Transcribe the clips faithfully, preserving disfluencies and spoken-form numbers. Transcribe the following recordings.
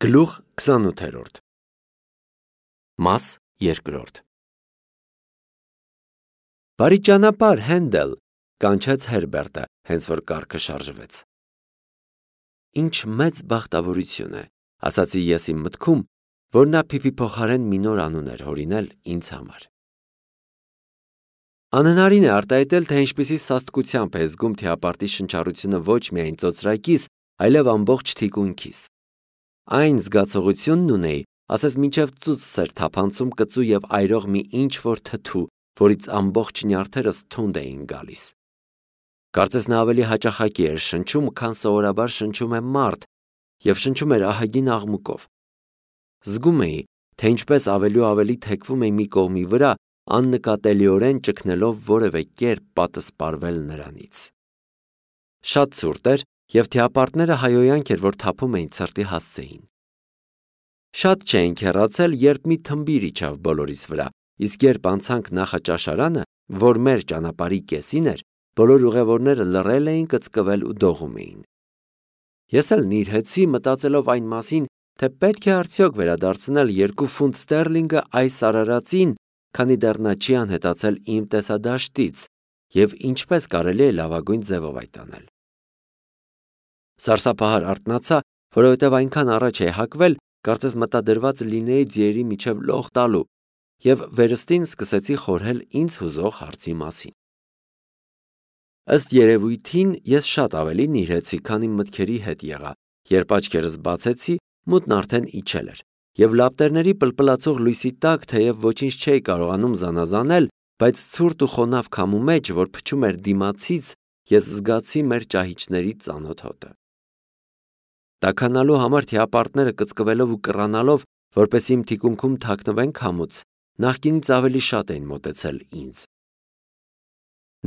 Գլուխ քսանութերորդ Մաս երկրորդ Բարի ճանապարհ, Հենդել, կանչեց Հերբերտը, հենց որ կառքը շարժվեց։ Ինչ մեծ բախտավորություն է, ասացի ես իմ մտքում, որ նա Փիփի փոխարեն մի նոր անուն էր հորինել ինձ համար։ Անհնարին է արտահայտել, թե ինչպիսի սաստկությամբ է զգում թիապարտի շնչառությունը ոչ միայն ծոծրակիս, այլև ամբողջ թիկունքիս։ Այն զգացողությունն ունեի, ասես մինչև ծուծս էր թափանցում կծու և այրող մի ինչ-որ թթու, որից ամբողջ նյարդերս թունդ էին գալիս։ Կարծես նա ավելի հաճախակի էր շնչում, քան սովորաբար շնչում է մարդ, և շնչում էր ահագին աղմուկով։ Զգում էի, թե ինչպես ավելի ու ավելի թեքվում էի մի կողմի վրա, աննկատելիորեն ճգնելով որևէ կերպ պատսպարվել նրանից։ Շատ ցուրտ էր, և թիապարտները հայհոյանք էր, որ թափում էին ցրտի հասցեին։ Շատ չէինք հեռացել, երբ մի թմբիր իջավ բոլորիս վրա, իսկ երբ անցանք նախաճաշարանը, որ մեր ճանապարհի կեսին էր, բոլոր ուղևորները լռել էին, կծկվել ու դողում էին։ Ես էլ նիրհեցի, մտածելով այն մասին, թե պետք է արդյոք վերադարձնել երկու ֆունտ ստերլինգը այս արարածին, քանի դեռ նա չի անհետացել իմ տեսադաշտից, և ինչպես կարելի է լավագույն ձևով այդ անել։ Սարսափահար արթնացա, որովհետև այնքան առաջ էի հագվել, կարծես մտադրված լինեի ձիերի միջև լող տալու, և վերստին սկսեցի խորհել ինձ հուզող հարցի մասին։ Ըստ երևույթին ես շատ ավելի նիրհեցի, քան իմ մտքերի հետ եղա, երբ աչքերս բացեցի, մութն արդեն իջել էր, և լապտերների պլպլացող լույսի տակ, թեև ոչինչ չէի կարողանում զանազանել, բայց ցուրտ ու խոնավ քամու մեջ, որ փչում էր դիմացից, ես զգացի մեր ճահիճների ծանոթ հոտը։ Տաքանալու համար թիապարտները կծկվելով ու կռանալով, որպեսզի իմ թիկունքում թաքնվեն քամուց, նախկինից ավելի շատ էին մոտեցել ինձ։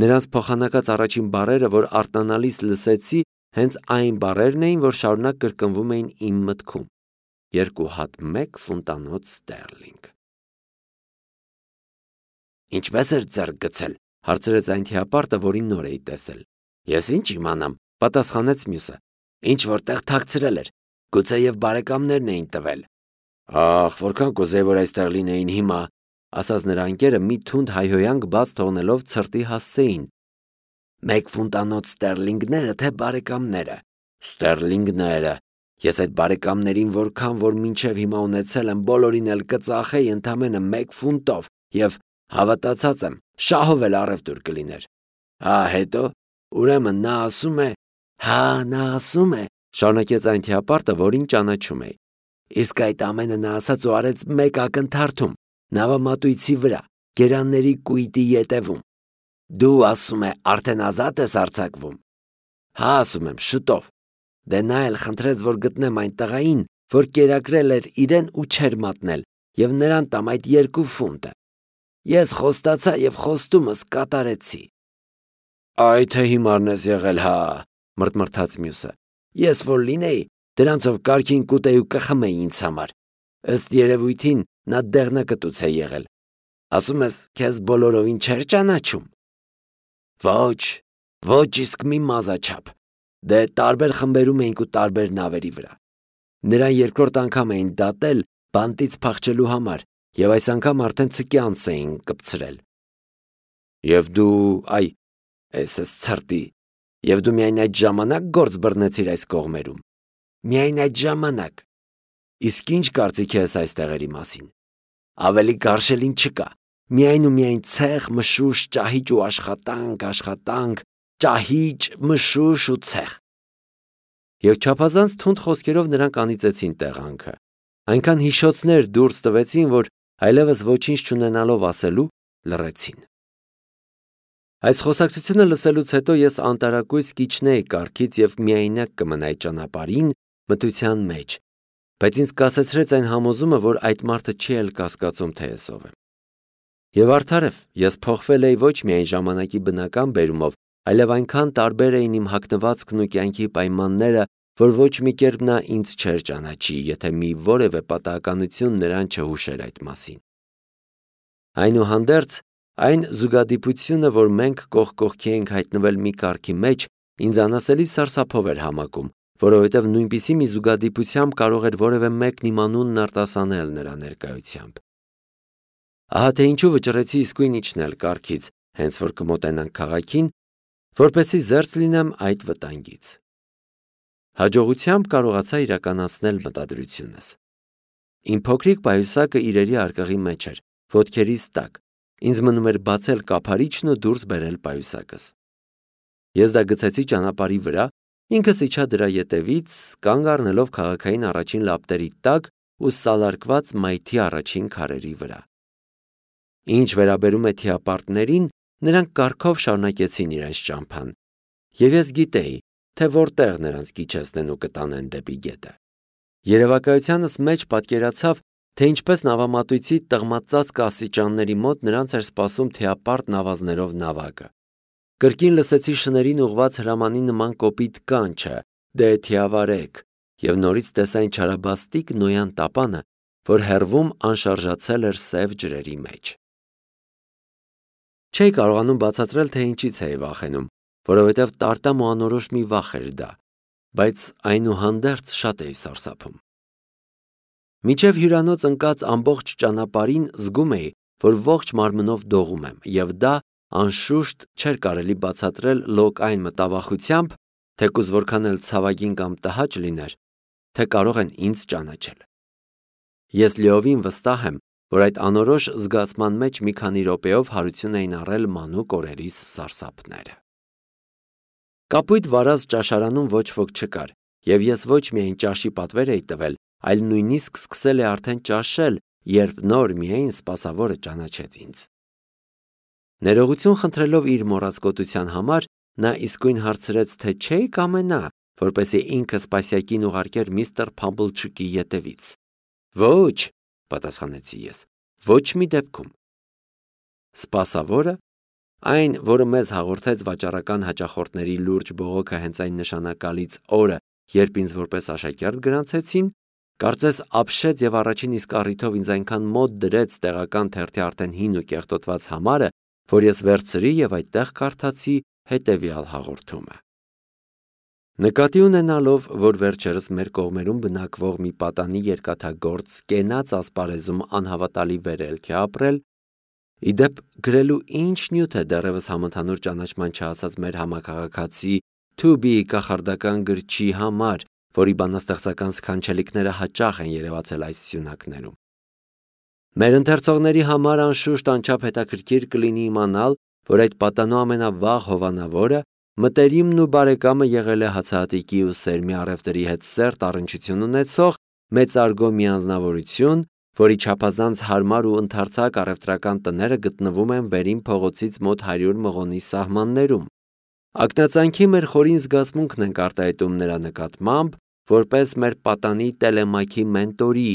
Նրանց փոխանակած առաջին բառերը, որ արտանալիս լսեցի, հենց այն բառերն էին, որ շարունակ կրկնվում էին իմ մտքում. երկու հատ մեկ ֆունտանոց ստերլինգ։ Ինչպե՞ս էր ձեռք գցել, հարցրեց այն թիապարտը, որին նոր էի տեսել։ Ես ինչ իմանամ, պատասխանեց մյուսը։ Ինչ որտեղ թաքցրել էր, գուցեև բարեկամներն էին տվել։ Ախ, որքան կուզեի, որ այստեղ լինեին հիմա, ասաց նրա ընկերը մի թունդ հայհոյանք բաց թողնելով ցրտի հասցեին։ Մեկ ֆունտանոց ստերլինգները, թե բարեկամները։ Ստերլինգները։ Ես այդ բարեկամներին որքան որ մինչև հիմա ունեցել եմ, բոլորին էլ կծախեի ընդամենը մեկ ֆունտով, և հավատացած եմ, շահով էլ առևտուր կլիներ։ Հա, հետո, ուրեմն նա ասում է, հա, նա ասում է, շարունակեց այն թիապարտը, որին ճանաչում էի։ Իսկ այդ ամենը նա ասաց ու արեց մեկ ակնթարթում, նավամատույցի վրա, գերանների կույտի ետևում։ Դու, ասում է, արդեն ազատ ես արձակվում։ Հա, ասում եմ, շուտով։ Դե նա էլ խնդրեց, որ գտնեմ այն տղային, որ կերակրել էր իրեն ու չէր մատնել, և նրան տամ այդ երկու ֆունտը։ Ես խոստացա և խոստումս կատարեցի։ Այ թե հիմարն ես եղել, հա, մռթմռթաց մյուսը։ Ես որ լինեի, դրանցով կարգին կուտեի ու կխմեի ինձ համար։ Ըստ երևույթին նա դեղնակտուց է եղել։ Ասում ես, քեզ բոլորովին չէր ճանաչում։ Ոչ, ոչ իսկ մի մազաչափ։ Դե տարբեր խմբերում էինք ու տարբեր նավերի վրա։ Նրան երկրորդ անգամ էին դատել բանտից փախչելու համար, և այս անգամ արդեն ցկի անց էին կպցրել։ Եվ դու, այ, էսես ցրտի, և դու միայն այդ ժամանակ գործ բռնեցիր այս կողմերում։ Միայն այդ ժամանակ։ Իսկ ինչ կարծիք ես այս տեղերի մասին։ Ավելի գարշելին չկա։ Միայն ու միայն ցեխ, մշուշ, ճահիճ ու աշխատանք, աշխատանք, ճահիճ, մշուշ ու ցեխ։ Եվ չափազանց թունդ խոսքերով նրանք անիծեցին տեղանքը։ Այնքան հիշոցներ դուրս տվեցին, որ այլևս ոչինչ չունենալով ասելու, լռեցին։ Այս խոսակցությունը լսելուց հետո ես անտարակույս կիջնեի կառքից և միայնակ կմնայի ճանապարհին, մթության մեջ, բայց ինձ կասեցրեց այն համոզումը, որ այդ մարդը չի էլ կասկածում, թե ես ով եմ։ Եվ արդարև, ես փոխվել էի ոչ միայն ժամանակի բնական բերումով, այլև այնքան տարբեր էին իմ հագնվածքն ու կյանքի պայմանները, որ ոչ մի կերպ նա ինձ չէր ճանաչի, եթե մի որևէ պատահականություն նրան չհուշեր այդ մասին։ Այնուհանդերձ, այն զուգադիպությունը, որ մենք կողք կողքի ենք հայտնվել մի կառքի մեջ, ինձ անասելի սարսափով էր համակում, որովհետև նույնպիսի մի զուգադիպությամբ կարող էր որևէ մեկն իմ անունն արտասանել նրա ներկայությամբ։ Ահա թե ինչու վճռեցի իսկույն իջնել կառքից, հենց որ կմոտենանք քաղաքին, որպեսզի զերծ լինեմ այդ վտանգից։ Հաջողությամբ կարողացա իրականացնել մտադրությունս։ Իմ փոքրիկ պայուսակը իրերի արկղի մեջ էր, ոտքերիս տակ, ինձ մնում էր բացել կափարիչն ու դուրս բերել պայուսակս։ Ես դա գցեցի ճանապարհի վրա, ինքս իջա դրա ետևից, կանգ առնելով քաղաքային առաջին լապտերի տակ ու սալարկված մայթի առաջին քարերի վրա։ Ինչ վերաբերում է թիապարտներին, նրանք կառքով շարունակեցին իրենց ճամփան, և ես գիտեի, թե որտեղ նրանց կիջեցնեն ու կտանեն դեպի գետը։ Երևակայությանս մեջ պատկերացավ, թե ինչպես նավամատույցի տղմածածկ աստիճանների մոտ նրանց էր սպասում թիապարտ նավազներով նավակը։ Կրկին լսեցի շներին ուղված հրամանի նման կոպիտ կանչը՝ «Դե թիավարեք», և նորից տեսա այն չարաբաստիկ նոյան տապանը, որ հեռվում անշարժացել էր սև ջրերի մեջ։ Չէի կարողանում բացատրել, թե ինչից էի վախենում, որովհետև տարտամ ու անորոշ մի վախ էր դա, բայց այնուհանդերձ շատ էի սարսափում։ Մինչև հյուրանոց ընկած ամբողջ ճանապարհին զգում էի, որ ողջ մարմնով դողում եմ, և դա անշուշտ չէր կարելի բացատրել լոկ այն մտավախությամբ, թեկուզ որքան էլ ցավագին կամ տհաճ լիներ, թե կարող են ինձ ճանաչել։ Ես լիովին վստահ եմ, որ այդ անորոշ զգացման մեջ մի քանի րոպեով հարություն էին առել մանուկ օրերիս սարսափները։ Կապույտ վարած ճաշարանում ոչ ոք չկար, և ես ոչ միայն ճաշի պատվեր էի տվել, այլ նույնիսկ սկսել էի արդեն ճաշել, երբ նոր միայն սպասավորը ճանաչեց ինձ։ Ներողություն խնդրելով իր մոռացկոտության համար, նա իսկույն հարցրեց, թե չէի կամենա, որպեսզի ինքը Սպասիակին ուղարկեր միստր Փամբլչուկի ետևից։ Ոչ, պատասխանեցի ես, ոչ մի դեպքում։ Սպասավորը, այն, որը մեզ հաղորդեց վաճառական հաճախորդների լուրջ բողոքը հենց այն նշանակալից օրը, երբ ինձ որպես աշակերտ գրանցեցին, կարծես ապշեց և առաջին իսկ առիթով ինձ այնքան մոտ դրեց տեղական թերթի արդեն հին ու կեղտոտված համարը, որ ես վերցրի և այդտեղ կարդացի հետևյալ հաղորդումը. Նկատի ունենալով, որ վերջերս մեր կողմերում բնակվող մի պատանի երկաթագործ կենաց ասպարեզում անհավատալի վերելք է ապրել, ի դեպ գրելու ինչ նյութ է դեռևս համընդհանուր ճանաչման չհասած մեր համաքաղաքացի Թուբի կախարդական գրչի համար, որի բանաստեղծական սքանչելիքները հաճախ են երևացել այս սյունակներում։ Մեր ընթերցողների համար անշուշտ անչափ հետաքրքիր կլինի իմանալ, որ այդ պատանու ամենավաղ հովանավորը մտերիմն ու բարեկամը եղել է հացահատիկի ու սերմի առևտրի հետ սերտ առնչություն ունեցող մեծարգո մի անձնավորություն, որի չափազանց հարմար ու ընդարձակ առևտրական տները գտնվում են Վերին փողոցից մոտ հարյուր մղոնի սահմաններում։ Ակնածանքի մեր խորին զգացմունքն ենք արտահայտում նրա նկատմամբ, որպես մեր պատանի տելեմակի մենտորի,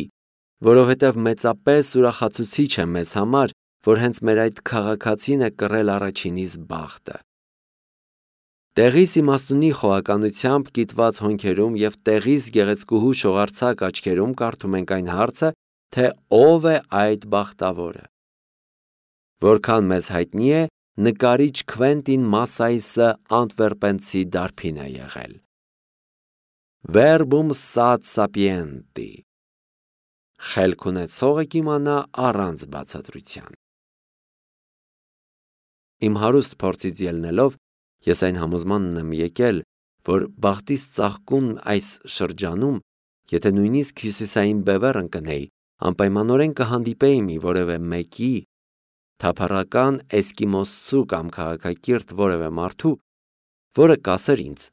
որովհետև մեծապես ուրախացուցիչ է մեզ համար, որ հենց մեր այդ քաղաքացին է կռել առաջինիս բախտը։ Տեղիս իմաստունի խոհականությամբ կիտված հոնքերում և տեղիս գեղեցկուհու շողարցակ աչքերում կարդում ենք այն հարցը, թե ով է այդ բախտավորը։ Որքան մեզ հայտնի է, նկարիչ Քվենտին Մասսայսը անտվերպենցի դարբին է եղել։ Verbum sat sapienti։ Խելք ունեցողը կիմանա առանց բացատրության։ Իմ հարուստ փորձից ելնելով, ես այն համոզմանն եմ եկել, որ բախտիս ծաղկուն այս շրջանում, եթե նույնիսկ հյուսիսային բևեռ ընկնեի, անպայմանորեն կհանդիպեի մի որևէ մեկի, թափառական էսկիմոսցու կամ քաղաքակիրթ որևէ մարդու, որը կասեր ինձ,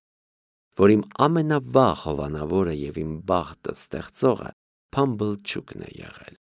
որ իմ ամենավաղ հովանավորը և իմ բախտը ստեղծողը Փամբլչուկն է եղել։